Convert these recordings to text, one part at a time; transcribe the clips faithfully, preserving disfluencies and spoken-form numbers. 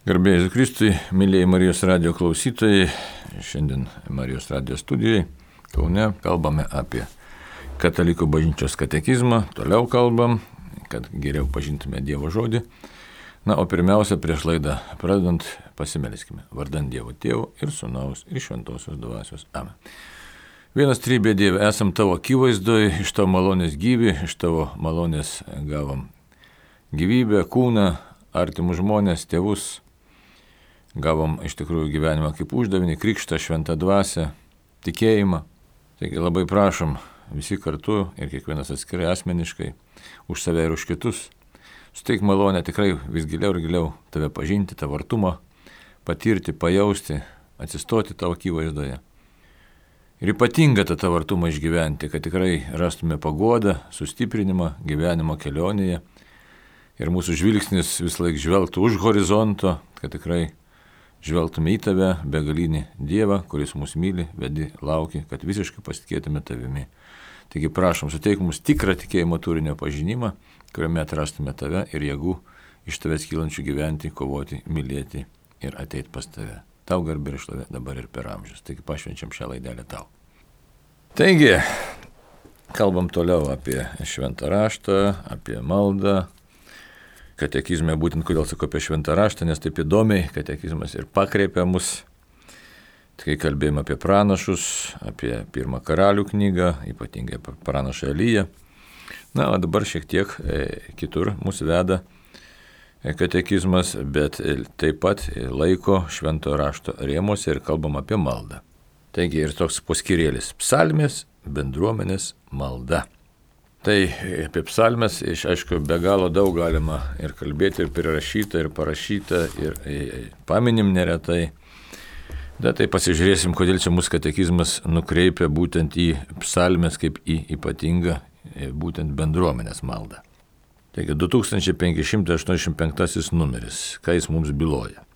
Garbėjai Kristui, mėlyjei Marijos radijo klausytojai, šiandien Marijos radijo studijoje Kaune kalbame apie katalikų bažnyčios katekizmą, toliau kalbam, kad geriau pažintume Dievo žodį. Na, o pirmiausia, prieš laidą pradedant, pasimelskime vardant Dievo Tėvo ir Sūnaus ir Šventosios Dvasios. Amen. Vienas trybė Dieve, esam tavo akivaizdoje, iš tavo malonės gyvi, iš tavo malonės gavom gyvybę, kūną, artimus žmonės, tėvus. Gavom iš tikrųjų gyvenimą kaip uždavinį, krikštą, šventą dvasią, tikėjimą. Taigi labai prašom visi kartu ir kiekvienas atskirai asmeniškai, už save ir už kitus, suteik malonę tikrai vis giliau ir giliau tave pažinti, tavo artumą, patirti, pajausti, atsistoti tavo akivaizdoje. Ir ypatingą tą tavo artumą išgyventi, kad tikrai rastume paguodą, sustiprinimą gyvenimo kelionėje ir mūsų žvilgsnis vis laik žvelgtų už horizonto, kad tikrai žvelgtume į tave, begalinį Dievą, kuris mus myli, vedi, lauki, kad visiškai pasitikėtume tavimi. Taigi prašom, suteik mums tikrą tikėjimo turinio pažinimą, kuriame atrastume tave ir jėgų iš tavęs kylančių gyventi, kovoti, mylėti ir ateiti pas tave. Tau garbė ir šlovė dabar ir per amžius. Taigi pašvenčiam šią laidelę tau. Taigi, kalbam toliau apie šventą raštą, apie maldą. Katekizme būtent, kodėl sakau apie šventą raštą, nes taip įdomiai katekizmas ir pakreipia mus. Kai kalbėjome apie pranašus, apie pirmą karalių knygą, ypatingai apie pranašą Eliją. Na, o dabar šiek tiek e, kitur mūsų veda e, katekizmas, bet e, taip pat e, laiko švento rašto rėmuose ir kalbam apie maldą. Taigi ir toks poskyrėlis – psalmės, bendruomenės malda. Tai apie psalmes, iš aišku, be galo daug galima ir kalbėti, ir prirašyta, ir parašyta, ir, ir paminim neretai. Bet tai pasižiūrėsim, kodėl čia mūsų katekizmas nukreipia būtent į psalmes kaip į ypatingą būtent bendruomenės maldą. Taigi du tūkstančiai penki šimtai aštuoniasdešimt penktasis numeris, ką jis mums byloja.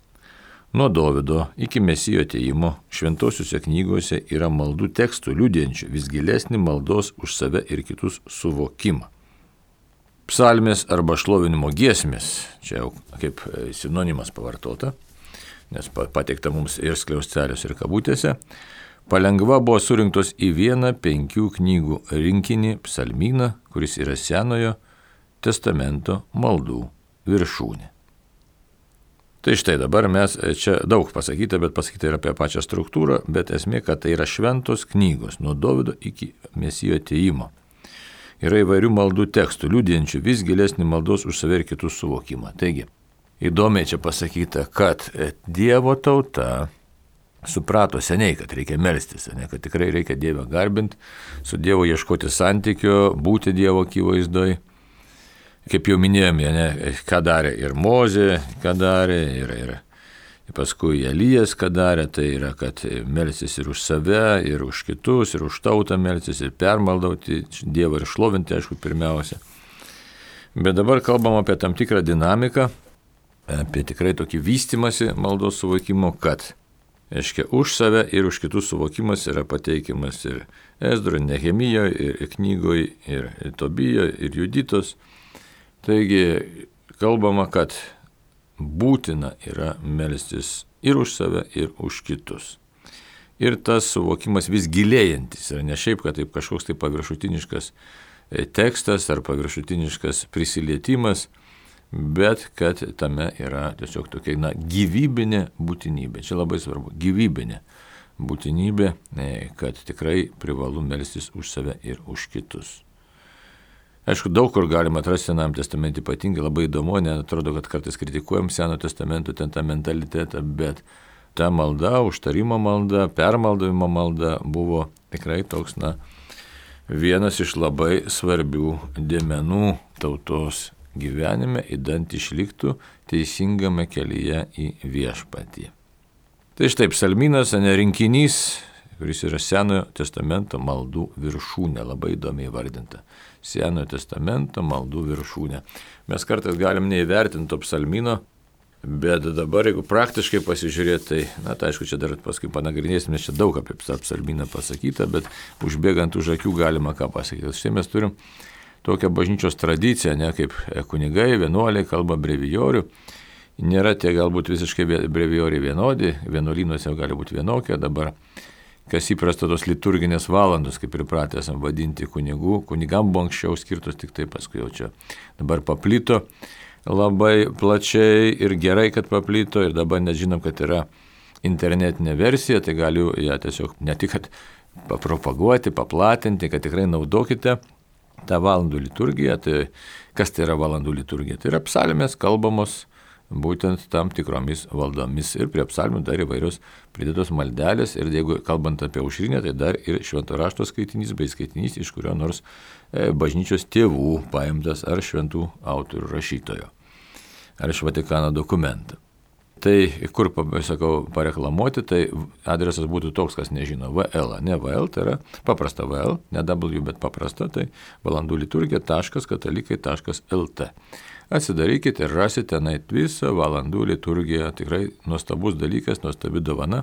Nuo Dovydo iki Mesijo atėjimo šventosiuose knygose yra maldų tekstų liudijančių vis gilesnį maldos už save ir kitus suvokimą. Psalmės arba šlovinimo giesmės, čia jau kaip sinonimas pavartota, nes pateikta mums ir skliaustelius ir kabutėse, palengva buvo surinktos į vieną penkių knygų rinkinį psalmyną, kuris yra Senojo testamento maldų viršūnė. Tai štai dabar mes, čia daug pasakyta, bet pasakyta ir apie pačią struktūrą, bet esmė, kad tai yra šventos knygos, nuo Dovydo iki Mesijo atėjimo. Yra įvairių maldų tekstų, liudijančių vis gilesnį maldos už save ir kitus suvokimą. Taigi, įdomiai čia pasakyta, kad Dievo tauta suprato seniai, kad reikia melstis, ne, kad tikrai reikia Dievą garbinti, su Dievu ieškoti santykio, būti Dievo akivaizdoj. Kaip jau minėjome, ne, ką darė ir Mozė, ką darė, ir, ir paskui Elijas, ką darė, tai yra, kad melsis ir už save, ir už kitus, ir už tautą melsis, ir permaldauti Dievą ir šlovinti, aišku, pirmiausia. Bet dabar kalbam apie tam tikrą dinamiką, apie tikrai tokį vystimąsi maldos suvokimo, kad, aiškia, už save ir už kitus suvokimas yra pateikimas ir Ezdro, Nehemijoje, ir knygoje, ir Tobijoje, ir Juditos. Taigi kalbama, kad būtina yra melstis ir už save, ir už kitus. Ir tas suvokimas vis gilėjantis yra ne šiaip, kad taip kažkoks tai paviršutiniškas tekstas ar paviršutiniškas prisilietimas, bet kad tame yra tiesiog tokia na, gyvybinė būtinybė. Čia labai svarbu, gyvybinė būtinybė, kad tikrai privalu melstis už save ir už kitus. Aišku, daug kur galima atrasti Senajam testamente, ypatingai labai įdomu, neatrodo, kad kartais kritikuojam Seno testamento ten tą mentalitetą, bet ta malda, užtarimo malda, permaldavimo malda buvo tikrai toks, na, vienas iš labai svarbių dėmenų tautos gyvenime, idant išliktų teisingame kelyje į viešpatį. Tai štai psalmynas, ne rinkinys, kuris yra Senojo testamento maldų viršūnė, labai įdomiai įvardinta. Senojo testamento maldų viršūnė. Mes kartais galim neįvertinti to psalmino, bet dabar, jeigu praktiškai pasižiūrėti, tai, na, tai aišku, čia dar paskui panagrinėsim, nes čia daug apie psalminą pasakyta, bet užbėgant už akių galima ką pasakyti. Štai mes turim tokią bažnyčios tradiciją, ne, kaip kunigai, vienuoliai kalba brevijorių, nėra tie galbūt visiškai brevijoriai vienodi, vienuolynuose gali būti vienokie, dabar kas įprasta tos liturginės valandos, kaip ir pratę esam vadinti kunigų, kunigam buvo anksčiau skirtos, tik tai paskui jau čia dabar paplito labai plačiai ir gerai, kad paplito ir dabar nežinom, kad yra internetinė versija, tai galiu ją tiesiog ne tik kad papropaguoti, paplatinti, kad tikrai naudokite tą valandų liturgiją. Tai kas tai yra valandų liturgija? Tai yra psalmės kalbamos būtent tam tikromis valdomis ir prie psalmių dar įvairios pridėtos maldelės ir jeigu kalbant apie aušrinę, tai dar ir švento rašto skaitinys bei skaitinys iš kurio nors e, bažnyčios tėvų paimtas ar šventų autorių rašytojo ar iš Vatikano dokumentą. Tai kur, sakau, pareklamuoti, tai adresas būtų toks, kas nežino, V L, ne V L, tai yra paprasta V L, ne W, bet paprasta, tai valandų liturgija taškas katalikai taškas L T. Atsidarykite ir rasite tenai visą valandų liturgiją, tikrai nuostabus dalykas, nuostabi dovana,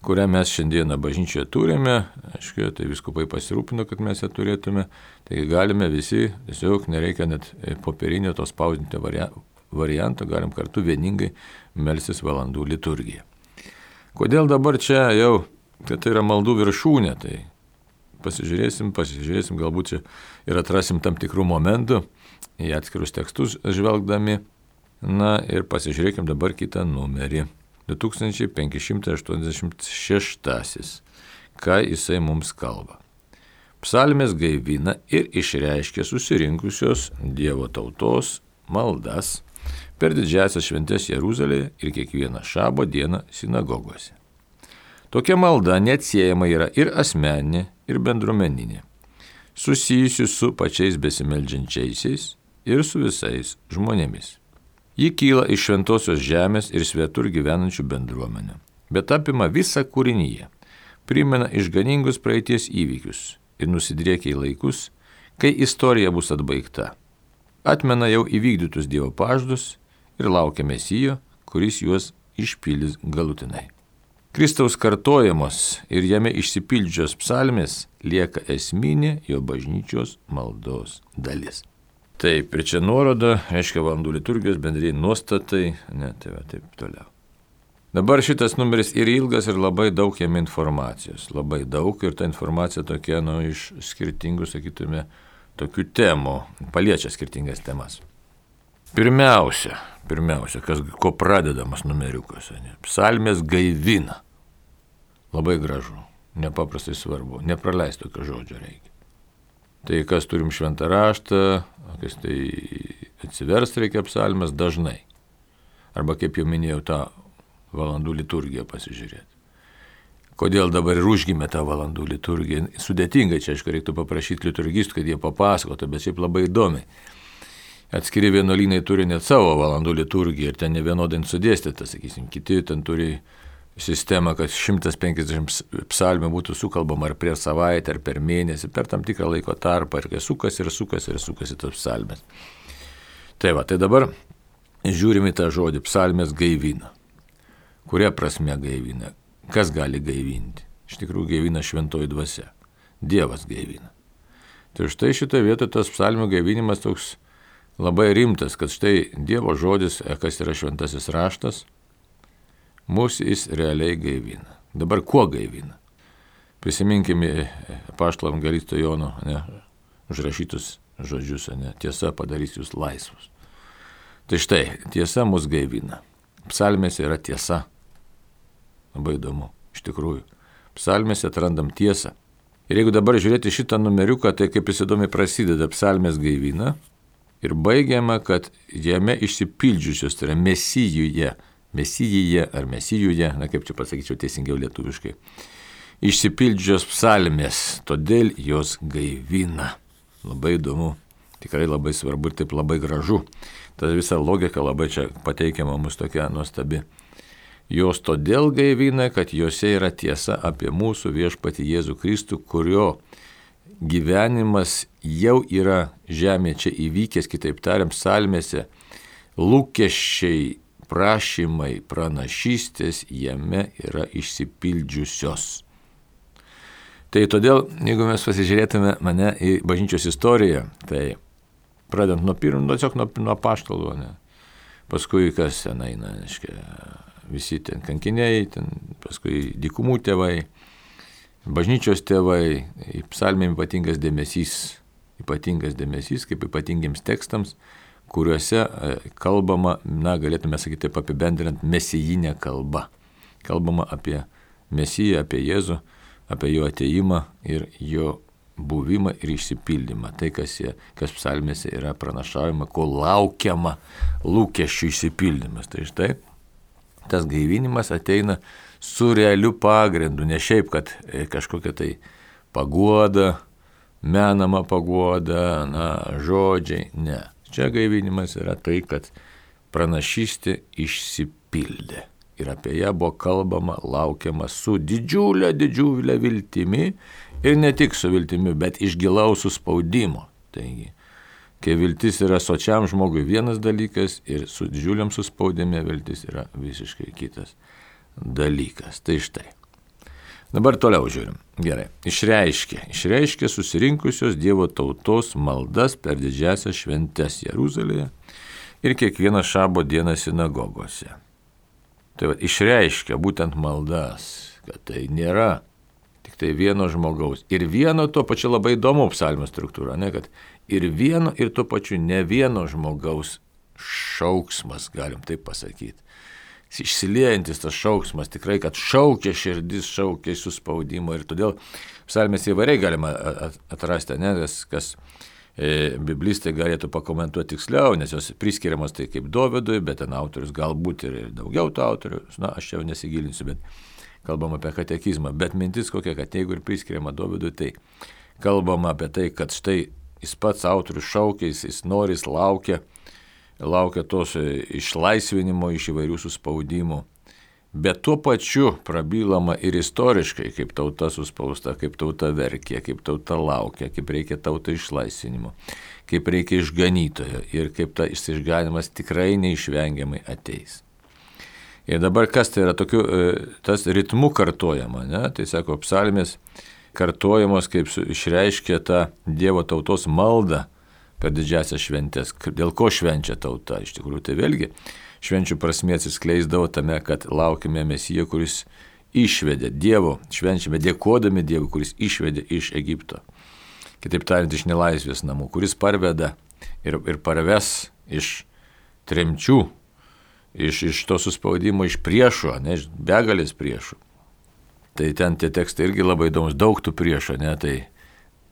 kurią mes šiandieną bažnyčioje turime, aišku, tai vyskupai pasirūpino, kad mes ją turėtume, tai galime visi, tiesiog nereikia net popierinio to spausdinti varianto, galim kartu vieningai melsis valandų liturgiją. Kodėl dabar čia jau, kad tai yra maldų viršūnė, tai pasižiūrėsim, pasižiūrėsim, galbūt čia ir atrasim tam tikrų momentų į atskirus tekstus žvelgdami. Na ir pasižiūrėkim dabar kitą numerį. du tūkstančiai penki šimtai aštuoniasdešimt šeštasis. Ką jisai mums kalba? Psalmės gaivina ir išreiškia susirinkusios Dievo tautos maldas per didžiąsias šventes Jeruzalėje ir kiekvieną šabo dieną sinagogose. Tokia malda neatsiejama yra ir asmeninė, ir bendruomeninė, susijusi su pačiais besimeldžiančiaisiais ir su visais žmonėmis. Ji kyla iš šventosios žemės ir svetur gyvenančių bendruomenių, bet apima visą kūrinyje, primena išganingus praeities įvykius ir nusidriekia į laikus, kai istorija bus atbaigta. Atmena jau įvykdytus Dievo pažadus ir laukia Mesijo, kuris juos išpildys galutinai. Kristaus kartojamos ir jame išsipildžios psalmės lieka esminė jo bažnyčios maldos dalis. Taip, ir čia nuoroda, reiškia valandų liturgijos bendrieji nuostatai, ne, tai va, taip toliau. Dabar šitas numeris ir ilgas ir labai daug jame informacijos, labai daug ir ta informacija tokia, nu, iš skirtingų, sakytume, tokių temų, paliečia skirtingas temas. Pirmiausia, pirmiausia, kas, ko pradedamas numeriukas, ne? Psalmės gaivina. Labai gražu, nepaprastai svarbu, nepraleisti tokio žodžio reikia. Tai kas turim šventą raštą, kas tai atsivers reikia psalmės dažnai. Arba kaip jau minėjau, tą valandų liturgiją pasižiūrėti. Kodėl dabar ir užgimė tą valandų liturgiją? Sudėtingai čia, aišku, reiktų paprašyti liturgistų, kad jie papasakotų, bet šiaip labai įdomiai. Atskiri vienuolynai turi net savo valandų liturgiją ir ten ne vienodai sudėstyta, sakysim, kiti ten turi sistemą, kad šimtas penkiasdešimt psalmių būtų sukalbama ar prieš savaitę, ar per mėnesį, per tam tikrą laiko tarpą, ir kai sukas ir sukas ir sukasi tos psalmės. Tai va, tai dabar žiūrime į tą žodį psalmės gaivina. Kuria prasme gaivina? Kas gali gaivinti? Iš tikrųjų gaivina šventoji dvasia. Dievas gaivina. Tai štai šitoje vietoje tas psalmių gaivinimas toks labai rimtas, kad štai Dievo žodis, kas yra šventasis raštas, mūsų jis realiai gaivina. Dabar kuo gaivina? Prisiminkime apaštalo evangelisto Jono, ne, užrašytus žodžius, ne, tiesa padarys jūs laisvus. Tai štai, tiesa mus gaivina. Psalmėse yra tiesa. Labai įdomu, iš tikrųjų. Psalmėse atrandam tiesą. Ir jeigu dabar žiūrėti šitą numeriuką, tai kaip jis įdomiai prasideda psalmės gaivina ir baigiama, kad jame išsipildžiusios, tai yra mesijuje, mesijuje ar mesijuje, na kaip čia pasakyčiau teisingiau lietuviškai, išsipildžios psalmės, todėl jos gaivina. Labai įdomu, tikrai labai svarbu ir taip labai gražu. Ta visa logika labai čia pateikiama mums tokia nuostabi. Jos todėl gaivina, kad jose yra tiesa apie mūsų viešpatį Jėzų Kristų, kurio gyvenimas jau yra žemė čia įvykęs, kitaip tariant, psalmėse, lūkesčiai, prašymai, pranašystės jame yra išsipildžiusios. Tai todėl, jeigu mes pasižiūrėtume mane į bažnyčios istoriją, tai pradedant nuo pirmo, tiesiog nuo, nuo apaštalų, ne, paskui kas ten eina, aiškia, visi ten kankiniai, ten paskui dykumų tėvai, bažnyčios tėvai, psalmėm ypatingas dėmesys, ypatingas dėmesys kaip ypatingiems tekstams, kuriuose kalbama, na, galėtume sakyti, apibendrinant mesijinę kalbą. Kalbama apie Mesiją, apie Jėzų, apie jo atėjimą ir jo buvimą ir išsipildymą. Tai, kas, jie, kas psalmėse yra pranašaujama, ko laukiama lūkesčių išsipildymas. Tai štai tas gaivinimas ateina su realiu pagrindu, ne šiaip, kad kažkokia tai paguoda, menama paguoda, na, žodžiai, ne. Čia gaivinimas yra tai, kad pranašystė išsipildė. Ir apie ją buvo kalbama, laukiama su didžiulė, didžiulė viltimi ir ne tik su viltimi, bet iš gilaus suspaudimo. Taigi, kai viltis yra sočiam žmogui vienas dalykas ir su didžiuliam suspaudime viltis yra visiškai kitas dalykas. Tai štai. Dabar toliau žiūrim. Gerai. Išreiškė. Išreiškė susirinkusios Dievo tautos maldas per didžiasias šventes Jeruzalėje ir kiekvieną šabo dieną sinagogose. Tai va, išreiškia būtent maldas, kad tai nėra tik tai vieno žmogaus. Ir vieno tuo pačiu labai įdomu psalmės struktūra, ne, kad ir vieno ir tuo pačiu ne vieno žmogaus šauksmas, galim taip pasakyti. Išsiliejantis tas šauksmas, tikrai, kad šaukia širdis, šaukia suspaudimo ir todėl psalmės įvairiai galima atrasti, ne, kas, kas E, biblistai galėtų pakomentuoti tiksliau, nes jos priskiriamos tai kaip Dovidui, bet ten autorius galbūt ir daugiau tų autorių, na, aš čia jau nesigilinsiu, bet kalbam apie katekizmą. Bet mintis kokia, kad jeigu ir priskiriama Dovidui, tai kalbam apie tai, kad štai jis pats autorius šaukia, jis, jis nori, jis laukia, laukia tos išlaisvinimo iš įvairių suspaudimų. Bet tuo pačiu prabylama ir istoriškai, kaip tauta suspausta, kaip tauta verkė, kaip tauta laukia, kaip reikia tauta išlaisvinimo, kaip reikia išganytojo ir kaip ta išganimas tikrai neišvengiamai ateis. Ir dabar kas tai yra tokiu, tas ritmu kartojama, ne? Tai sako, psalmės kartojamos, kaip išreiškia tą Dievo tautos maldą per didžiasias šventes. Dėl ko švenčia tauta? Iš tikrųjų, tai vėlgi švenčių prasmė atsiskleisdavo tame, kad laukime Mesiją, kuris išvedė Dievo, švenčiame dėkodami Dievui, kuris išvedė iš Egipto. Kitaip tariant, iš nelaisvės namų, kuris parveda ir, ir parves iš tremčių, iš, iš to suspaudimo, iš priešo, ne, iš begalės priešų. Tai ten tie tekstai irgi labai įdomus, daug tų priešo, ne, tai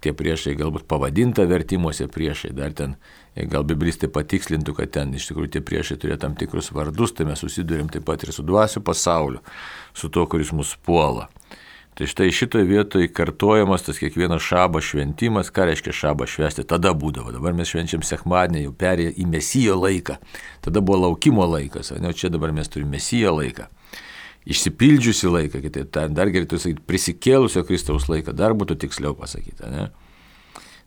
tie priešai galbūt pavadinta vertimuose priešai, dar ten gal biblistai patikslintų, kad ten iš tikrųjų tie priešai turėjo tam tikrus vardus, tai mes susidurėm taip pat ir su dvasių pasauliu, su to, kuris mus puola. Tai štai šitoje vietoje kartojamas tas kiekvienas šabo šventimas, ką reiškia šabą švęsti, tada būdavo, dabar mes švenčiam sekmadienį, jau perėję į Mesijo laiką, tada buvo laukimo laikas, o čia dabar mes turime Mesijo laiką. Išsipildžiusi laiką, kitaip tariant, dar geriau sakyti, prisikėlusio Kristaus laiką, dar būtų tiksliau pasakyta, ne?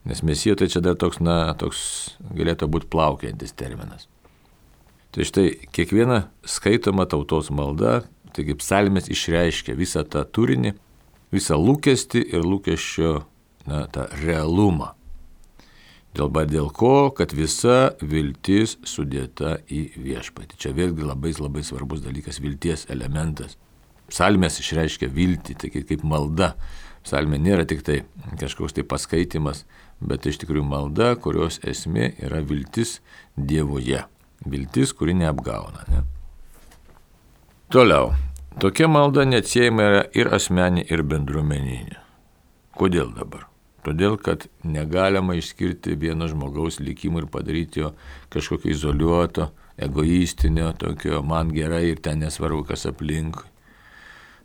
Nes Mesijo tai čia dar toks, na, toks galėtų būti plaukiantis terminas. Tai štai kiekviena skaitoma tautos malda, taigi psalmės išreiškia visą tą turinį, visą lūkestį ir lūkesčio, na, tą realumą. Dėl, dėl ko, kad visa viltis sudėta į viešpatį. Čia vėlgi labai labai svarbus dalykas, vilties elementas. Psalmės išreiškia viltį, tai kaip malda. Psalmė nėra tik tai kažkoks tai paskaitimas, bet iš tikrųjų malda, kurios esmė yra viltis Dievoje. Viltis, kuri neapgauna. Ne? Toliau. Tokia malda neatsiejama yra ir asmeninė, ir bendruomeninė. Kodėl dabar? Todėl, kad negalima išskirti vieno žmogaus likimų ir padaryti jo kažkokio izoliuoto, egoistinio, tokio man gerai ir ten nesvarbu, kas aplinkui.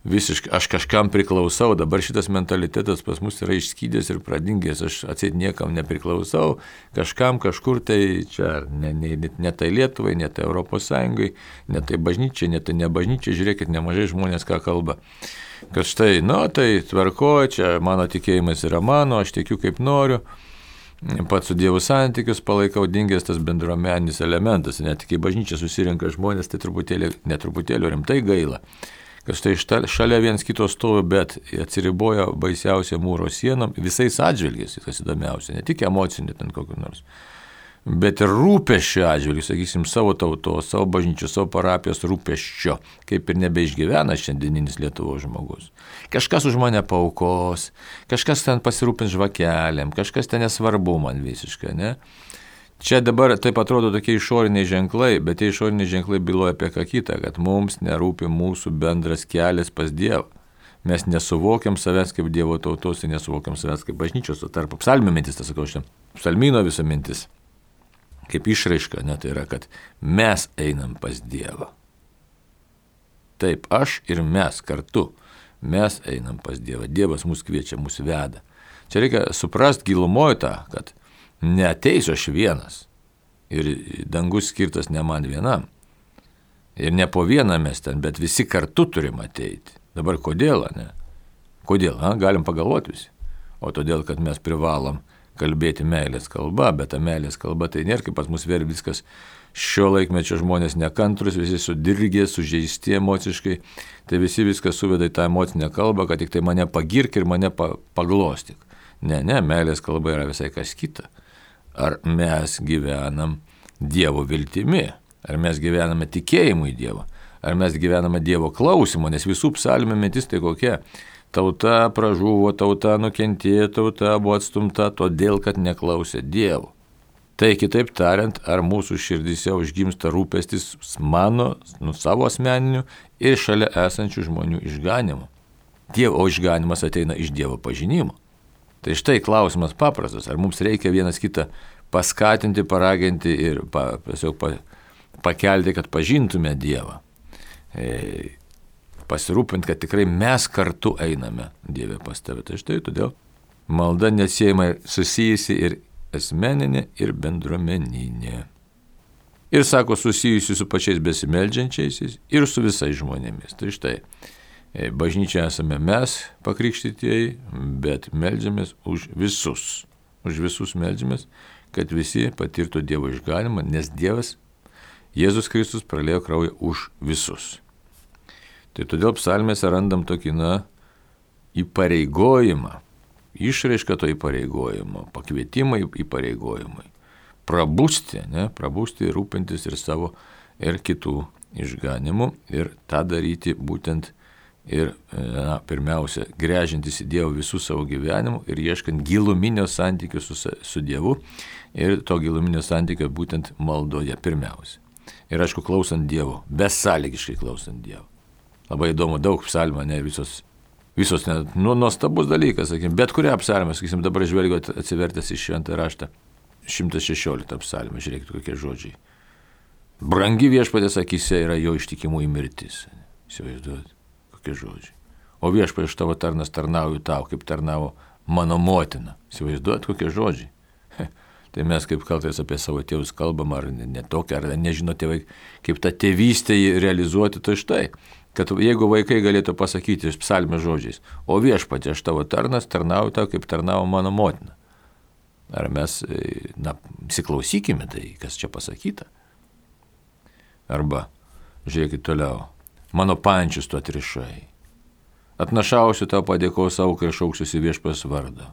Visiškai, aš kažkam priklausau, dabar šitas mentalitetas pas mus yra išskydęs ir pradingęs, aš atseit niekam nepriklausau, kažkam kažkur tai čia, ne, ne, ne tai Lietuvai, ne tai Europos Sąjungai, ne tai bažnyčiai, ne tai ne bažnyčiai, žiūrėkit, nemažai žmonės ką kalba. Kad štai, nu, tai tvarkoju, čia mano tikėjimas yra mano, aš tikiu kaip noriu, pats su Dievu santykius palaikau, dingęs tas bendruomeninis elementas, net kai bažnyčia susirenka žmonės, tai truputėlį, netruputėlį rimtai gaila, kad štai šalia viens kito stovi, bet atsiriboja baisiausia mūro sienom, visais atžvilgiais, kas įdomiausia, ne tik emocinė ten kokiu nors, bet ir rūpesčio atžvilgiu, sakysim, savo tautos, savo bažnyčios, savo parapijos rūpesčio, kaip ir nebeišgyvena šiandieninis Lietuvos žmogus. Kažkas už mane paaukos, kažkas ten pasirūpins žvakelėm, kažkas ten nesvarbu man visiškai, ne? Čia dabar taip atrodo tokie išoriniai ženklai, bet tie išoriniai ženklai byloja apie ką kitą, kad mums nerūpi mūsų bendras kelias pas Dievą. Mes nesuvokiam savęs kaip Dievo tautos ir nesuvokiam savęs kaip bažnyčios, o tarp psalmių mintis, tas sakau šiandien, psalmino visa mintis, kaip išraiška, ne, tai yra, kad mes einam pas Dievą. Taip, aš ir mes kartu, mes einam pas Dievą, Dievas mus kviečia, mus veda. Čia reikia suprast gilumoje tą, kad neateisiu aš vienas ir dangus skirtas ne man vienam. Ir ne po vieną mes ten, bet visi kartu turim ateiti. Dabar kodėl, ne? Kodėl, ha? Galim pagalvoti visi. O todėl, kad mes privalom kalbėti meilės kalba, bet ta meilės kalba tai nėra kaip pas mus vėl viskas šio laikmečio žmonės nekantrus, visi sudirgė, sužeisti emociškai, tai visi viskas suveda į tą emocinę kalbą, kad tik tai mane pagirk ir mane pa, paglostyk. Ne, ne, meilės kalba yra visai kas kita. Ar mes gyvenam Dievo viltimi, ar mes gyvename tikėjimu į Dievą, ar mes gyvename Dievo klausimu, nes visų psalmių mintis tai kokia. Tauta pražuvo, tauta nukentėjo, tauta buvo atstumta, todėl, kad neklausė Dievo. Tai kitaip tariant, ar mūsų širdyse užgimsta rūpestis mano, nu, savo asmeniniu ir šalia esančių žmonių išganimu. Dievo išganimas ateina iš Dievo pažinimo. Tai štai klausimas paprastas, ar mums reikia vienas kitą paskatinti, paraginti ir pa, tiesiog pa, pakelti, kad pažintume Dievą. E, pasirūpinti, kad tikrai mes kartu einame Dieve pas tave. Tai štai todėl malda neatsiejama susijusi ir asmeninė, ir bendruomeninė. Ir sako, susijusi su pačiais besimeldžiančiaisiais ir su visais žmonėmis. Tai štai, bažnyčia esame mes pakrikštytieji, bet meldžiamės už visus. Už visus meldžiamės, kad visi patirtų Dievo išganimą, nes Dievas, Jėzus Kristus praliejo kraują už visus. Tai todėl psalmėse randam tokį, na, įpareigojimą, išraišką to įpareigojimo, pakvietimą įpareigojimui, prabusti, ne, prabusti ir rūpintis ir savo, ir kitų išganimu, ir tą daryti būtent ir, na, pirmiausia, gręžintis į Dievą visų savo gyvenimu ir ieškant giluminio santykio su, su Dievu ir to giluminio santykio būtent maldoje pirmiausia. Ir aišku, klausant Dievo, besąlygiškai klausant Dievo. Labai įdomu, daug psalmų, ne, visos, visos ne, nu, nuostabus dalykas, sakykim, bet kurią psalmę, sakysim, dabar žvelgiu atsivertęs į šventą raštą, šimtas šešioliktą psalmę, žiūrėkit, kokie žodžiai. Brangi viešpatės akyse yra jo ištikimųjų mirtis. Įsivaizduojat, kokie žodžiai. O viešpatie, aš tavo tarnas tarnauju tau, kaip tarnavo mano motina. Įsivaizduojat, kokie žodžiai. Tai mes kaip kartais apie savo tėvus kalbam, ar netokia, ar nežino tėvai, kaip tą tėvystę realizuoti, tai štai. Kad jeigu vaikai galėtų pasakyti iš psalmės žodžiais, o viešpatie, aš tavo tarnas, tarnauju tau, kaip tarnavo mano motina. Ar mes, na, įsiklausykime tai, kas čia pasakyta. Arba, žiūrėkit toliau, mano pančius tu atrišai. Atnašausiu tau padėkos aukai ir šauksiuosi viešpas vardą.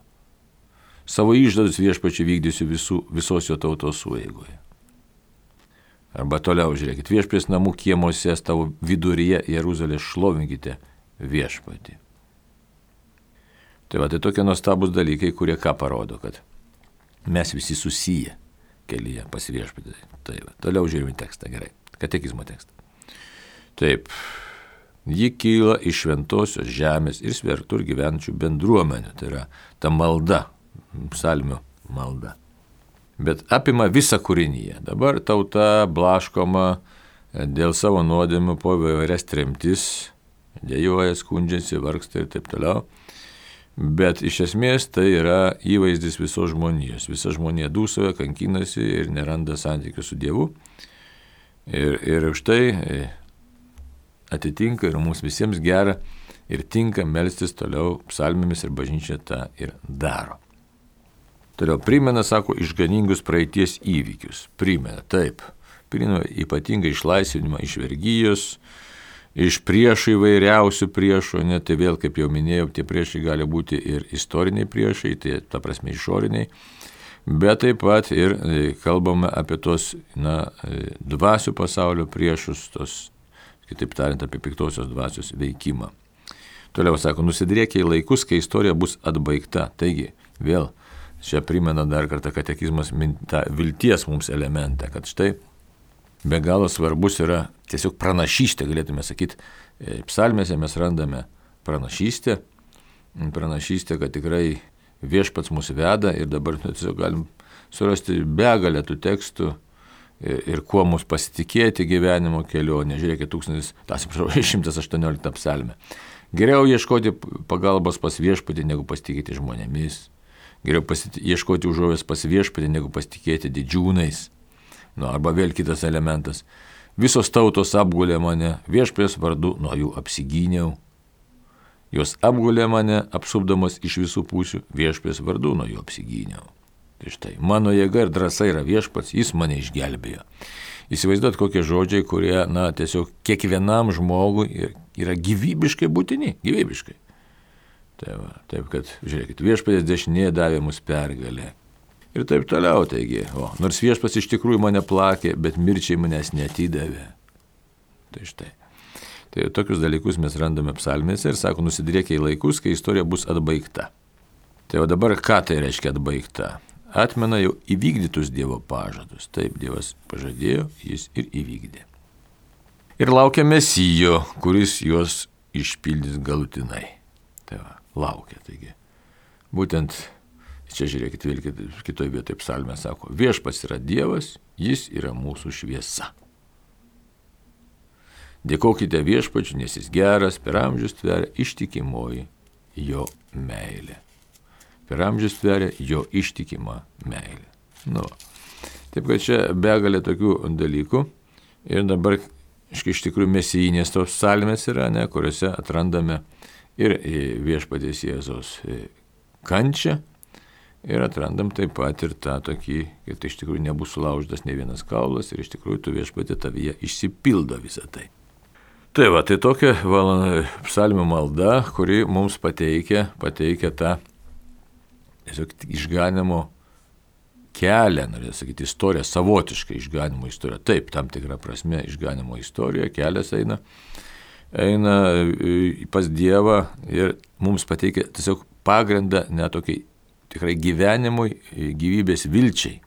Savo išdadus viešpačiu vykdysiu visų, visos jo tautos sueigoje. Arba toliau žiūrėkit, viešpės namų kiemuose tavo viduryje Jeruzalės šlovinkite viešpatį. Tai va, tai tokie nuostabus dalykai, kurie ką parodo, kad mes visi susiję kelyje pas viešpatį. Tai va, toliau žiūrime tekstą, gerai, katekizmo tekstą. Taip, ji kyla iš šventosios žemės ir svertur gyvenančių bendruomenių, tai yra ta malda, psalmių malda. Bet apima visą kūrinyje. Dabar tauta blaškoma dėl savo nuodėmių po įvairias tremtis, dėjoja, skundžiasi, vargsta ir taip toliau. Bet iš esmės tai yra įvaizdis visos žmonijos. Visa žmonija dūsauja, kankinasi ir neranda santykių su Dievu. Ir, ir už tai atitinka ir mums visiems gera ir tinka melstis toliau psalmėmis ir bažnyčia tą ir daro. Toliau primena, sako, išganingus praeities įvykius. Primena, taip. Primena ypatingą išlaisvinimą iš vergijos, iš priešų įvairiausių priešų, ne, tai vėl, kaip jau minėjau, tie priešai gali būti ir istoriniai priešai, tai ta prasme išoriniai. bet taip pat ir kalbame apie tos, na, dvasių pasaulio priešus, tos, kitaip tariant, apie piktosios dvasios veikimą. Toliau sako, nusidriekia į laikus, kai istorija bus atbaigta. Taigi, vėl, čia primena dar kartą katekizmas tą vilties mums elementą, kad štai be galo svarbus yra tiesiog pranašystė, galėtume sakyti, psalmėse mes randame pranašystę, pranašystę, kad tikrai viešpats mus veda ir dabar tiesiog galim surasti begalę tų tekstų ir, ir kuo mus pasitikėti gyvenimo kelionė. Žiūrėkit, šimtas aštuoniolikta psalmė. Geriau ieškoti pagalbos pas viešpatį, negu pasitikėti žmonėmis. Geriau pasiti- ieškoti užuovės pas viešpatį, negu pasitikėti didžiūnais. Nu, arba vėl kitas elementas. Visos tautos apgulė mane, viešpatės vardu nuo jų apsigyniau. Jos apgulė mane, apsupdamos iš visų pusių, viešpatės vardu nuo jų apsigyniau. Tai štai, mano jėga ir drąsa yra viešpats, jis mane išgelbėjo. Įsivaizduot kokie žodžiai, kurie, na, tiesiog kiekvienam žmogui yra gyvybiškai būtini, gyvybiškai. Tai va, taip, kad, žiūrėkit, viešpatės dešinė davė mus pergalę. Ir taip toliau, taigi, o, nors viešpats iš tikrųjų mane plakė, bet mirčiai manęs neatidavė. Tai štai. Tai tokius dalykus mes randame psalmėse ir sako, nusidriekia į laikus, kai istorija bus atbaigta. Tai o dabar ką tai reiškia atbaigta? Atmena jau įvykdytus Dievo pažadus. Taip, Dievas pažadėjo, jis ir įvykdė. Ir laukia Mesijo, kuris juos išpildys galutinai. Tai va, laukia, taigi. Būtent čia žiūrėkit, vėl kitoje vietoje psalmė sako, viešpats yra Dievas, jis yra mūsų šviesa. Dėkokite viešpačiu, nes jis geras, per amžius tveria ištikimoji jo meilė. Per amžius tveria jo ištikima meilė. Nu, taip kad čia begalė tokių dalykų ir dabar iš tikrųjų mesijinės tos psalmės yra, ne, kuriuose atrandame ir viešpaties Jėzaus kančią, ir atrandam taip pat ir tą tokį, kad iš tikrųjų nebus sulaužytas ne vienas kaulas ir iš tikrųjų tu viešpatė tavyje išsipildo visą tai. Tai va, tai tokia psalmių malda, kuri mums pateikia, pateikia tą tiesiog išganimo kelią, norėjau sakyti, istoriją, savotišką išganimo istoriją. Taip, tam tikrą prasme išganimo istorija, kelias eina, eina pas Dievą ir mums pateikia tiesiog pagrindą netokiai tikrai gyvenimui, gyvybės vilčiai,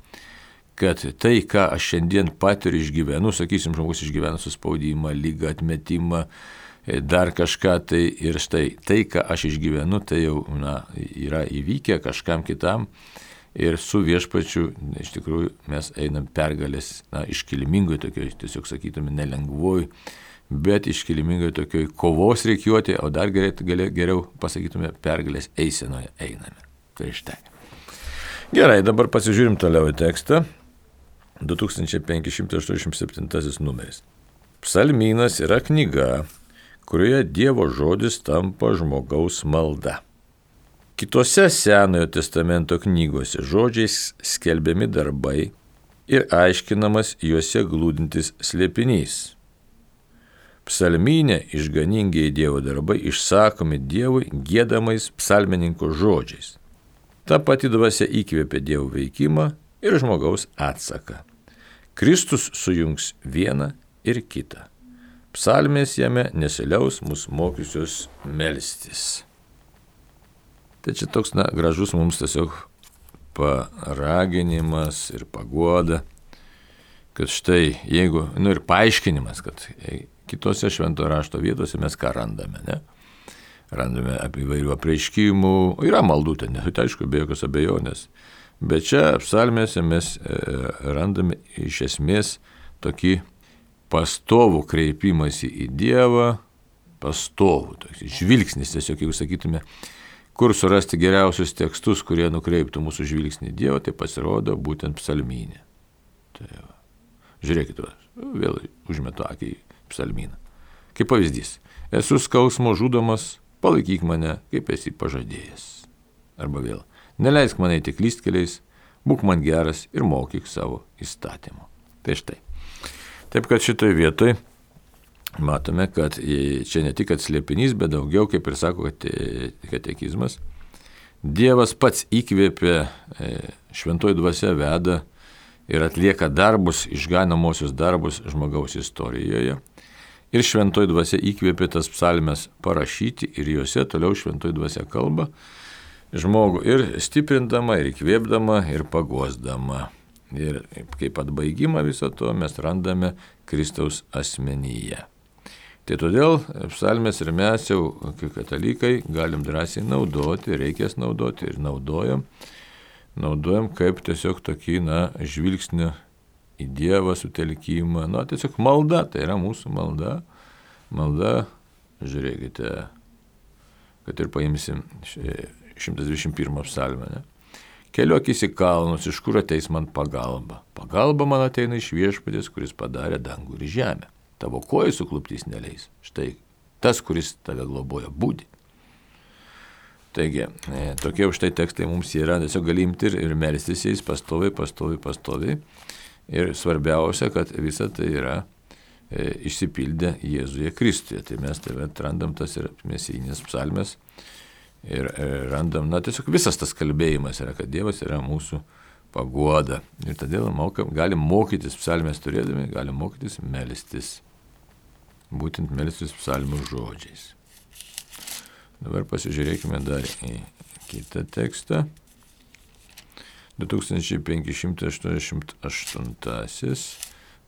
kad tai, ką aš šiandien patiriu išgyvenu, sakysim, žmogus išgyvena suspaudimą, lygą, atmetimą, dar kažką, tai ir štai, tai, ką aš išgyvenu, tai jau na, yra įvykę kažkam kitam ir su viešpačiu, iš tikrųjų, mes einam pergalės, na, iškilmingoj tokioj, tiesiog sakytume, nelengvoj, bet iškilmingoj tokioj kovos reikiuotė, o dar geriau, geriau pasakytume, pergalės eisenoje einame. Tai štai. Gerai, dabar pasižiūrim toliau į tekstą. du tūkstančiai penki šimtai aštuoniasdešimt septintasis numeris. Psalmynas yra knyga, kurioje Dievo žodis tampa žmogaus malda. Kitose Senojo testamento knygose žodžiais skelbiami darbai ir aiškinamas juose glūdintis slėpinys. Psalmyne išganingiai Dievo darbai išsakomi Dievui giedamais psalmininko žodžiais. Ta pati dvasia įkvėpė Dievo veikimą ir žmogaus atsaką. Kristus sujungs vieną ir kitą. Psalmės jame nesiliaus mus mokysios melstis. Tai čia toks, na, gražus mums tiesiog paraginimas ir paguoda, kad štai, jeigu, nu ir paaiškinimas, kad kitose švento rašto vietose mes ką randame, ne? Randame apie įvairių apreiškimų, yra maldų ten, tai aišku, be jokios abejonės. Bet čia psalmėse mes randame iš esmės tokį pastovų kreipimąsi į Dievą, pastovų, toks žvilgsnis, tiesiog, jeigu sakytume, kur surasti geriausius tekstus, kurie nukreiptų mūsų žvilgsnį į Dievą, tai pasirodo būtent psalmynė. Tai va. Žiūrėkite, vėl užmetu akį į psalmyną. Kaip pavyzdys, esu skausmo žudomas, palaikyk mane, kaip esi pažadėjęs. Arba vėl, neleisk mane eiti klystkeliais, būk man geras ir mokyk savo įstatymu. Tai štai. Taip kad šitoje vietoje matome, kad čia ne tik atslėpinys, bet daugiau, kaip ir sako katekizmas, Dievas pats įkvėpė, šventoji dvasia veda ir atlieka darbus, išganamosius darbus žmogaus istorijoje. Ir šventoji dvasia įkvėpė tas psalmes parašyti ir juose toliau šventoji dvasia kalba žmogų ir stiprindama, ir įkvėpdama, ir paguosdama. Ir kaip atbaigimą viso to mes randame Kristaus asmenyje. Tai todėl psalmes ir mes jau, kaip katalikai, galim drąsiai naudoti, reikės naudoti ir naudojam. Naudojam kaip tiesiog tokį, na, žvilgsnį į Dievą sutelkimą, na, tiesiog malda, tai yra mūsų malda. Malda, žiūrėkite, kad ir paimsim šimtas dvidešimt pirmą psalmę, ne? Keliuokis į kalnus, iš kur ateis man pagalba. Pagalba man ateina iš Viešpaties, kuris padarė dangų ir žemę. Tavo kojai sukluptys neleis. Štai tas, kuris tave globoja, būdi. Taigi, e, tokie už tai tekstai mums yra, tiesiog gali imti ir, ir melstis jais pastoviai, pastoviai, pastoviai. Ir svarbiausia, kad visa tai yra e, išsipildę Jėzuje Kristuje. Tai mes tave atrandam tas ir mesijinės psalmes ir e, randam, na tiesiog visas tas kalbėjimas yra, kad Dievas yra mūsų paguoda. Ir todėl mokam, galim mokytis psalmes turėdami, galim mokytis melstis. Būtent melstis psalmių žodžiais. Dabar pasižiūrėkime dar į kitą tekstą. du tūkstančiai penki šimtai aštuoniasdešimt aštuntasis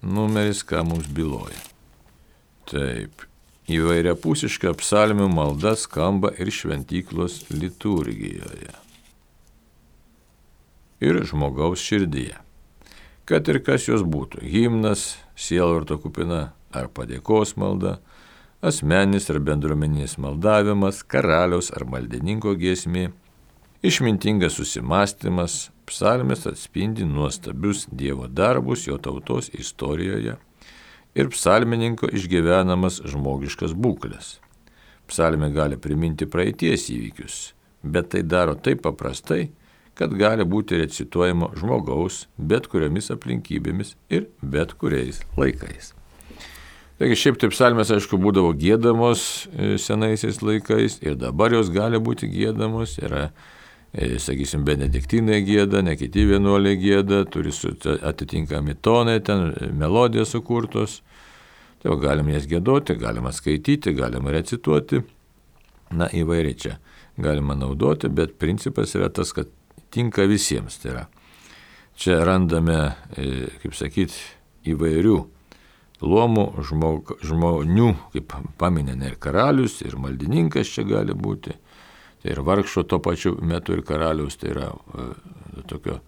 numeris, ką mums byloja. Taip, įvairiapusiška psalmių malda skamba ir šventyklos liturgijoje. Ir žmogaus širdyje. Kad ir kas jos būtų, himnas, sielvarto kupina ar padėkos malda, asmeninis ar bendruomeninis maldavimas, karaliaus ar maldininko giesmė, išmintingas susimastymas, psalmės atspindi nuostabius Dievo darbus jo tautos istorijoje ir psalmininko išgyvenamas žmogiškas būklės. Psalmė gali priminti praeities įvykius, bet tai daro taip paprastai, kad gali būti recituojama žmogaus bet kuriomis aplinkybėmis ir bet kuriais laikais. Taigi šiaip taip psalmės, aišku, būdavo giedamos senaisiais laikais ir dabar jos gali būti giedamos. Yra, sakysim, benediktinai gieda, ne kiti vienuoliai gieda, turi atitinkami tonai, ten melodijos sukurtos. Tai galima jas giedoti, galima skaityti, galima recituoti. Na, įvairiai čia galima naudoti, bet principas yra tas, kad tinka visiems. Tai yra, čia randame, kaip sakyti, įvairių luomų žmog, žmonių, kaip paminė ir karalius, ir maldininkas čia gali būti, tai ir vargšo tuo pačiu metu ir karalius, tai yra e, tokio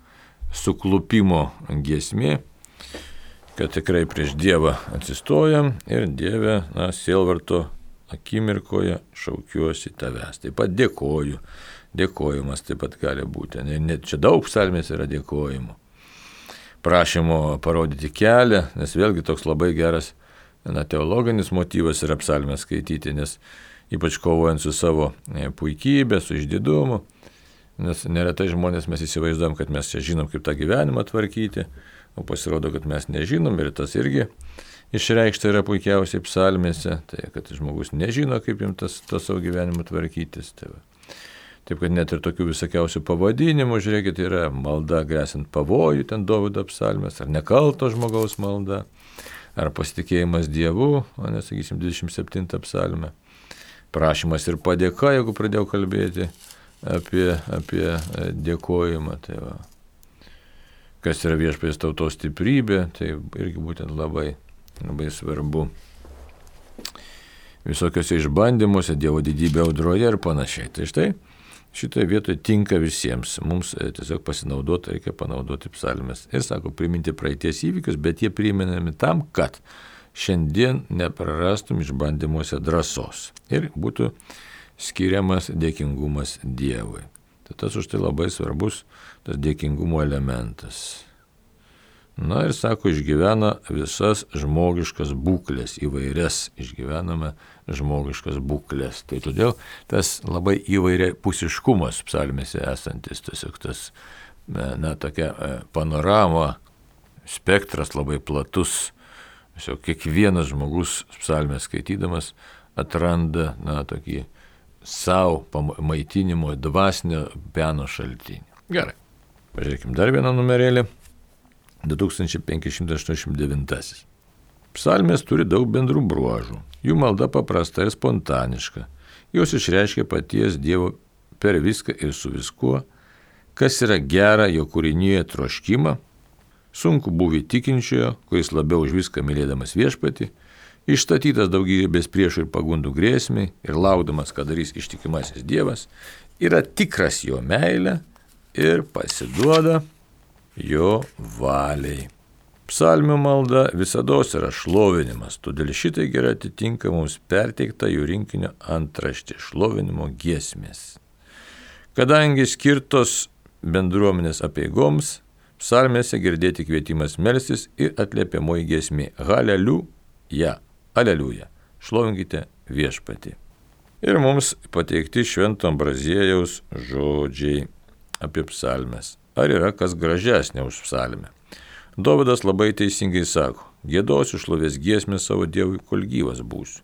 suklupimo giesmė, kad tikrai prieš Dievą atsistojam ir Dieve, na, sielvarto akimirkoje šaukiuosi tavęs. Taip pat dėkoju, dėkojimas taip pat gali būti, net čia daug psalmės yra dėkojimų. Prašymo parodyti kelią, nes vėlgi toks labai geras, na, teologinis motyvas yra psalmę skaityti, nes ypač kovojant su savo puikybė, su išdidumu, nes neretai žmonės mes įsivaizduojam, kad mes čia žinom, kaip tą gyvenimą tvarkyti, o pasirodo, kad mes nežinom ir tas irgi išreikšta yra puikiausiai psalmėse, tai kad žmogus nežino, kaip jam tas, tas savo gyvenimą tvarkytis. Tai va. Taip, kad net ir tokių visokiausių pavadinimų, žiūrėkit, yra malda grėsint pavojų, ten Dovydo psalmės, ar nekalto žmogaus malda, ar pasitikėjimas Dievu, o nesakysim dvidešimt septintą psalmę. Prašymas ir padėka, jeigu pradėjau kalbėti apie, apie dėkojimą. Tai va. Kas yra Viešpaties tautos stiprybė, tai irgi būtent labai, labai svarbu. Visokiose išbandymuose, Dievo didybė audroje ir panašiai. Tai štai, šitoje vietoje tinka visiems. Mums tiesiog pasinaudoti, reikia panaudoti psalmes. Ir sako, priminti praeities įvykius, bet jie priminami tam, kad šiandien neprarastum išbandymuose drąsos. Ir būtų skiriamas dėkingumas Dievui. Tai tas už tai labai svarbus, tas dėkingumo elementas. Na ir sako, išgyvena visas žmogiškas būklės, įvairias išgyvename žmogiškas būklės. Tai todėl tas labai įvairia pusiškumas psalmėse esantis, tiesiog tas, na, tokia panorama, spektras labai platus. Tiesiog kiekvienas žmogus psalmę skaitydamas atranda, na, tokį savo maitinimo dvasinio pieno šaltinį. Gerai. Pažiūrėkime dar vieną numerėlį. du tūkstančiai penki šimtai aštuoniasdešimt devyni. Psalmės turi daug bendrų bruožų. Jų malda paprasta ir spontaniška. Jos išreiškia paties Dievo per viską ir su viskuo, kas yra gera jo kūrinyje troškimą, sunku būvi tikinčiojo, kuris labiau už viską mylėdamas viešpatį, išstatytas daugybės priešų ir pagundų grėsmiai ir laukdamas, kad darys ištikimasis Dievas, yra tikras jo meilė ir pasiduoda jo valiai. Psalmių malda visados yra šlovinimas, todėl šitai gerai atitinka mums perteiktą jų rinkinio antraštė šlovinimo giesmės. Kadangi skirtos bendruomenės apeigoms, psalmėse girdėti kvietimas melstis ir atliepiamoji giesmė. Haleliuja, aleliuja, šlovinkite viešpatį. Ir mums pateikti Švento Ambraziejaus žodžiai apie psalmes. Ar yra kas gražesnė už psalmę? Dovydas labai teisingai sako, giedosiu šlovės giesmę savo Dievui, kol gyvas būsiu.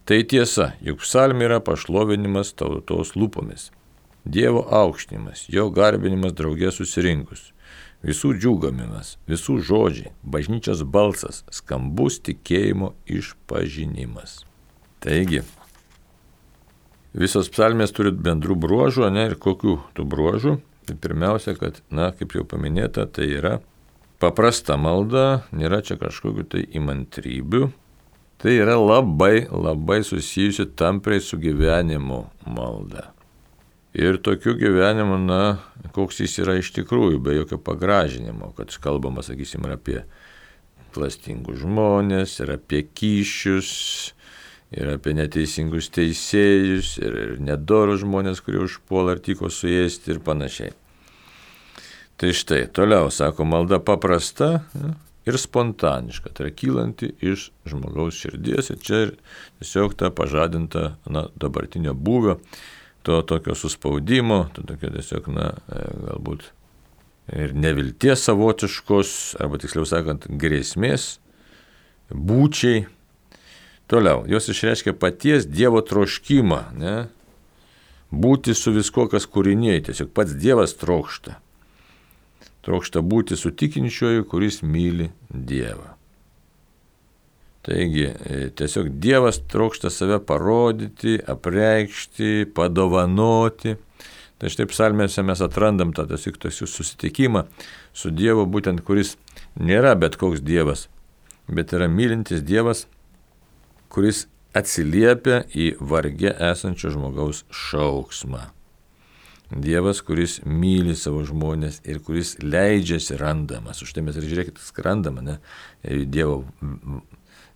Tai tiesa, juk psalmė yra pašlovinimas tautos lūpomis, Dievo aukštinimas, jo garbinimas draugė susirinkus, visų džiūgamimas, visų žodžiai, bažnyčios balsas, skambus tikėjimo išpažinimas. Taigi, visos psalmės turi bendrų bruožų, ne, ir kokių tų bruožų? Tai pirmiausia, kad, na, kaip jau paminėta, tai yra paprasta malda, nėra čia kažkokių tai įmantrybių. Tai yra labai, labai susijusi tampriai su gyvenimu malda. Ir tokiu gyvenimu, na, koks jis yra iš tikrųjų, be jokio pagražinimo, kad kalbama, sakysim, ir apie klastingus žmonės, ir apie kyšius, ir apie neteisingus teisėjus, ir, ir nedorus žmonės, kurie užpuola ar tiko suėsti ir panašiai. Tai štai, toliau, sako, malda paprasta ir spontaniška, tai yra kylanti iš žmogaus širdies ir čia tiesiog ta pažadinta, na, dabartinio būvio, to tokio suspaudimo, to tokio tiesiog, na, galbūt ir nevilties savotiškos, arba tiksliau sakant, grėsmės, būčiai. Toliau, jos išreiškia paties Dievo troškimą, ne? Būti su viskuo, kas kūrinėje, tiesiog pats Dievas trokšta. Trokšta būti su tikinčiuoju, kuris myli Dievą. Taigi, tiesiog Dievas trokšta save parodyti, apreikšti, padovanoti. Tai štai psalmėse mes atrandam tą tiesiog susitikimą su Dievu, būtent kuris nėra bet koks Dievas, bet yra mylintis Dievas, kuris atsiliepia į varge esančio žmogaus šauksmą. Dievas, kuris myli savo žmonės ir kuris leidžiasi randamas. Už tai mes ir žiūrėkit, skrandama, ne? Dievo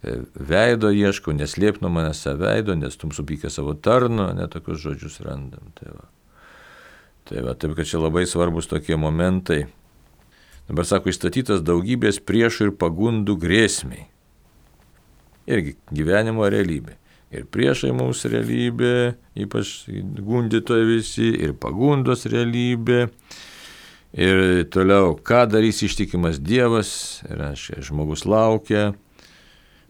veido ieškau, neslėp nuo manęs savo veido, nes tum supykę savo tarno, ne, tokius žodžius randam. Tai va. Tai va, taip, kad čia labai svarbus tokie momentai. Dabar sako, išstatytas daugybės priešų ir pagundų grėsmiai. Irgi gyvenimo realybė. Ir priešai mums realybė, ypač gundytojai visi, ir pagundos realybė. Ir toliau, ką darys ištikimas Dievas, ir aiškiai, žmogus laukia.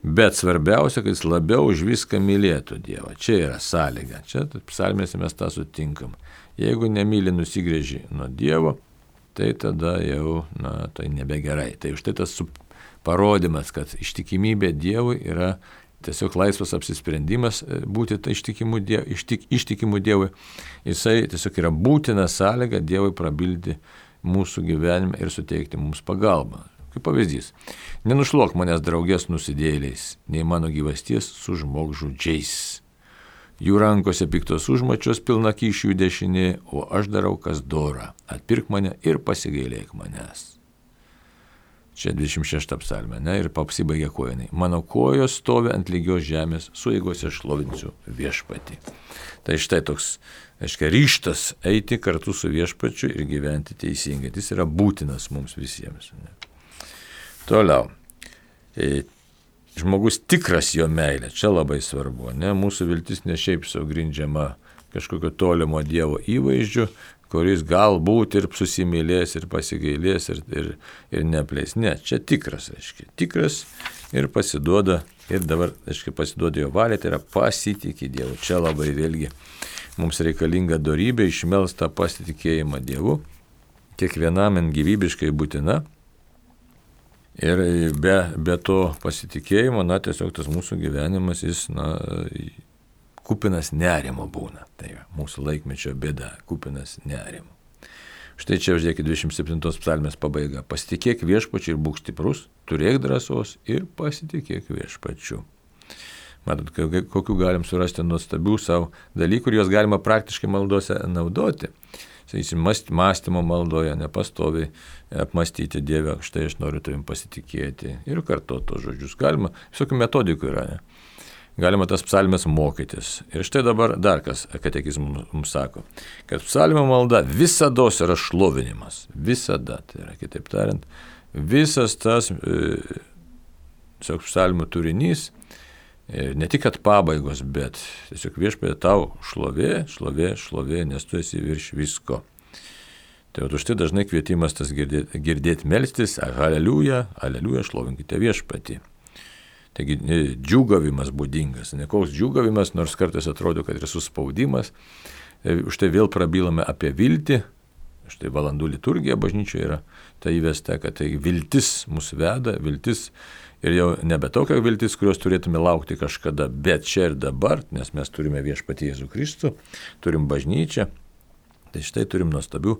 Bet svarbiausia, kad jis labiau už viską mylėtų Dievą. Čia yra sąlyga. Čia psalmėse mes tą sutinkam. Jeigu nemyli nusigrėži nuo Dievo, tai tada jau, na, tai nebegerai. Tai už tai tas parodimas, kad ištikimybė Dievui yra tiesiog laisvas apsisprendimas būti ištikimų diev, ištik, ištikimų Dievui. Jisai tiesiog yra būtina sąlyga Dievui prabilti mūsų gyvenime ir suteikti mums pagalbą. Kaip pavyzdys, nenušlok manęs draugės nusidėjėliais, nei mano gyvasties su žmogžudžiais. Jų rankose piktos užmačios pilna kyšių dešinė, o aš darau kas dora. Atpirk mane ir pasigailėk manęs. Čia dvidešimt šešta psalmė, ne, ir apsibaigia kojinai. Mano kojos stovi ant lygios žemės, su jėgose šlovinsiu viešpatį. Tai štai toks, aiškiai, ryžtas eiti kartu su viešpačiu ir gyventi teisingai. Jis yra būtinas mums visiems. Ne. Toliau. E, žmogus tikras jo meilė, čia labai svarbu. Ne. Mūsų viltis ne šiaip sau grindžiama kažkokio tolimo Dievo įvaizdžiu, kuris galbūt ir susimylės, ir pasigailės, ir, ir, ir neapleis. Ne, čia tikras, aiškiai. Tikras ir pasiduoda, ir dabar, aiškiai, pasiduoda jo valiai, tai yra pasitikė Dievu. Čia labai vėlgi mums reikalinga dorybė išmelsta pasitikėjimą Dievu, kiekvienam gyvybiškai būtina. Ir be, be to pasitikėjimo, na, tiesiog tas mūsų gyvenimas, jis, na, kupinas nerimo būna. Tai mūsų laikmečio bėda, kupinas nerimo. Štai čia, žiūrėkit, dvidešimt septintos psalmės pabaiga. Pasitikėk viešpačiu ir būk stiprus, turėk drąsos ir pasitikėk viešpačiu. Matot, kokių galim surasti nuostabių savo dalykų ir juos galima praktiškai maldose naudoti. Sakysim, mąstymo maldoje, nepastoviai apmastyti Dievę, štai aš noriu tavim pasitikėti ir kartuoti tos žodžius. Galima, visokių metodikų yra, ne? Galima tas psalmes mokytis. Ir štai dabar dar kas katekizmas mums sako, kad psalmio malda visados yra šlovinimas. Visada, tai yra, kitaip tariant, visas tas e, psalmio turinys, e, ne tik kad pabaigos, bet tiesiog viešpatie tau šlovė, šlovė, šlovė, nes tu esi virš visko. Tai už tai dažnai kvietimas tas girdėti, girdėti melstis, aleliuja, aleliuja, šlovinkite viešpatį. Taigi džiūgavimas būdingas, ne koks džiūgavimas, nors kartais atrodo, kad yra suspaudimas. Už tai vėl prabylame apie viltį, štai valandų liturgija bažnyčioje yra tai įvesta, kad tai viltis mus veda, viltis ir jau nebe tokia viltis, kurios turėtume laukti kažkada, bet čia ir dabar, nes mes turime viešpatį Jėzų Kristų, turim bažnyčią, tai štai turim nuostabių,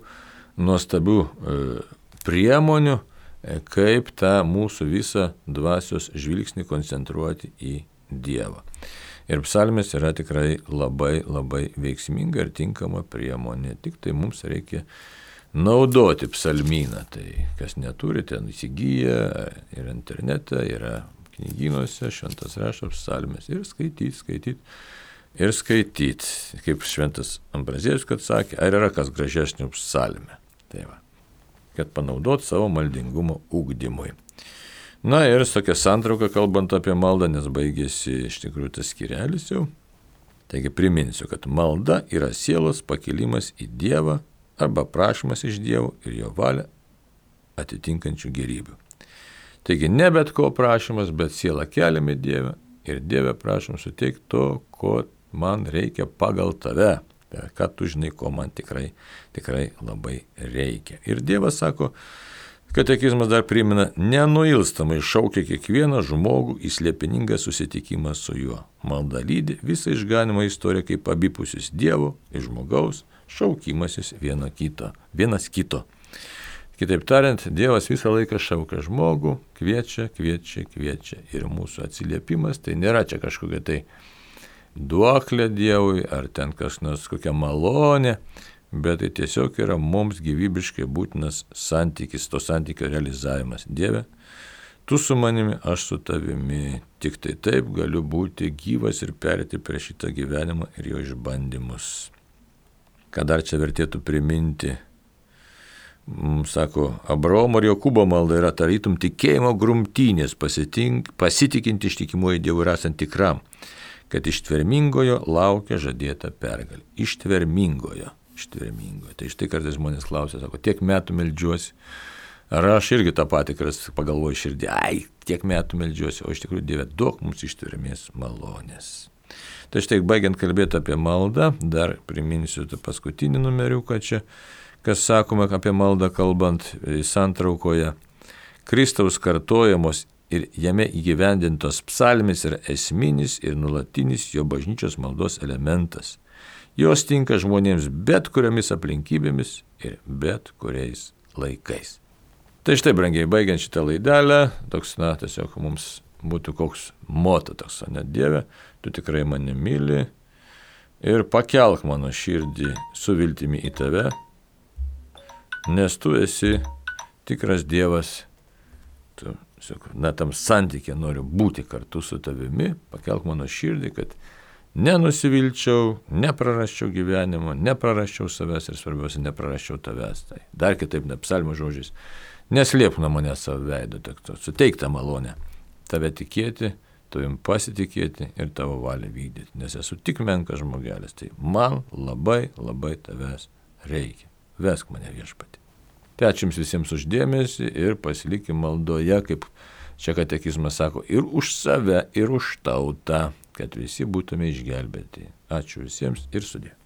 nuostabių e, priemonių, kaip tą mūsų visą dvasios žvilgsnį koncentruoti į Dievą. Ir psalmės yra tikrai labai, labai veiksminga ir tinkama priemonė. Tik tai mums reikia naudoti psalmyną. Tai kas neturi, ten įsigyja ir internete, yra knygynuose, šventas rašo psalmės ir skaityti, skaityti ir skaityti. Kaip šventas Ambrazėjus, kad sakė, ar yra kas gražesnio psalmė. Tai va. Kad panaudot savo maldingumo ugdymui. Na ir tokia santrauka, kalbant apie maldą, nes baigėsi iš tikrųjų tas skyrelis jau. Taigi priminsiu, kad malda yra sielos pakilimas į Dievą arba prašymas iš Dievo ir jo valią atitinkančių gerybių. Taigi ne bet ko prašymas, bet sielą keliame Dievą ir Dievę prašom suteikti to, ko man reikia pagal tave. Ką tu žinai, ko man tikrai, tikrai labai reikia. Ir Dievas sako, katekizmas dar primena, nenuilstamai šaukia kiekvieną žmogų į slėpiningą susitikimą su juo. Malda lydi visą išganimo istoriją kaip abipusis Dievo ir žmogaus šaukimasis vieno kito, vienas kito. Kitaip tariant, Dievas visą laiką šaukia žmogų, kviečia, kviečia, kviečia. Ir mūsų atsiliepimas tai nėra čia kažkokia tai duoklė Dievui, ar ten kas nors kokia malonė, bet tai tiesiog yra mums gyvybiškai būtinas santykis, to santykio realizavimas. Dieve, tu su manimi, aš su tavimi, tik tai taip galiu būti gyvas ir perėti prie šitą gyvenimą ir jo išbandymus. Ką dar čia vertėtų priminti? Sako, Abraomo ir Jokūbo malda yra tarytum tikėjimo grumtynės, pasitikinti ištikimuoju Dievu ir esant tikram, kad ištvermingojo laukia žadėta pergalė. Ištvermingojo, ištvermingojo. Tai štai kartais žmonės klausia, sako, tiek metų meldžiuosi. Ar aš irgi tą patį pagalvoju širdį, ai, tiek metų meldžiuosi, o iš tikrųjų Dieve, duok mums ištvermės malonės. Tai štai, baigiant kalbėti apie maldą, dar priminsiu tą paskutinį numeriuką čia, kas sakoma apie maldą kalbant santraukoje. Kristaus kartojamos ir jame įgyvendintos psalmės yra esminis ir nuolatinis jo bažnyčios maldos elementas. Jos tinka žmonėms bet kuriomis aplinkybėmis ir bet kuriais laikais. Tai štai, brangiai, baigiant šitą laidelę, toks, na, tiesiog mums būtų koks moto toks, ne Dieve, tu tikrai mane myli ir pakelk mano širdį su viltimi į tave, nes tu esi tikras Dievas, tu na, tam santykė noriu būti kartu su tavimi, pakelk mano širdį, kad nenusivilčiau, neprarasčiau gyvenimo, neprarasčiau savęs ir svarbiausia, neprarasčiau tavęs. Tai dar kitaip, ne psalmio žodžiais, neslėpk nuo manęs savo veido, suteik tą malonę, tave tikėti, tavim pasitikėti ir tavo valią vykdyti, nes esu tik menkas žmogelis, tai man labai, labai tavęs reikia. Vesk mane viešpatį. Tai ačiū jums visiems uždėmesį ir pasilikim maldoje, kaip čia katekizmas sako, ir už save, ir už tautą, kad visi būtume išgelbėti. Ačiū visiems ir sudie.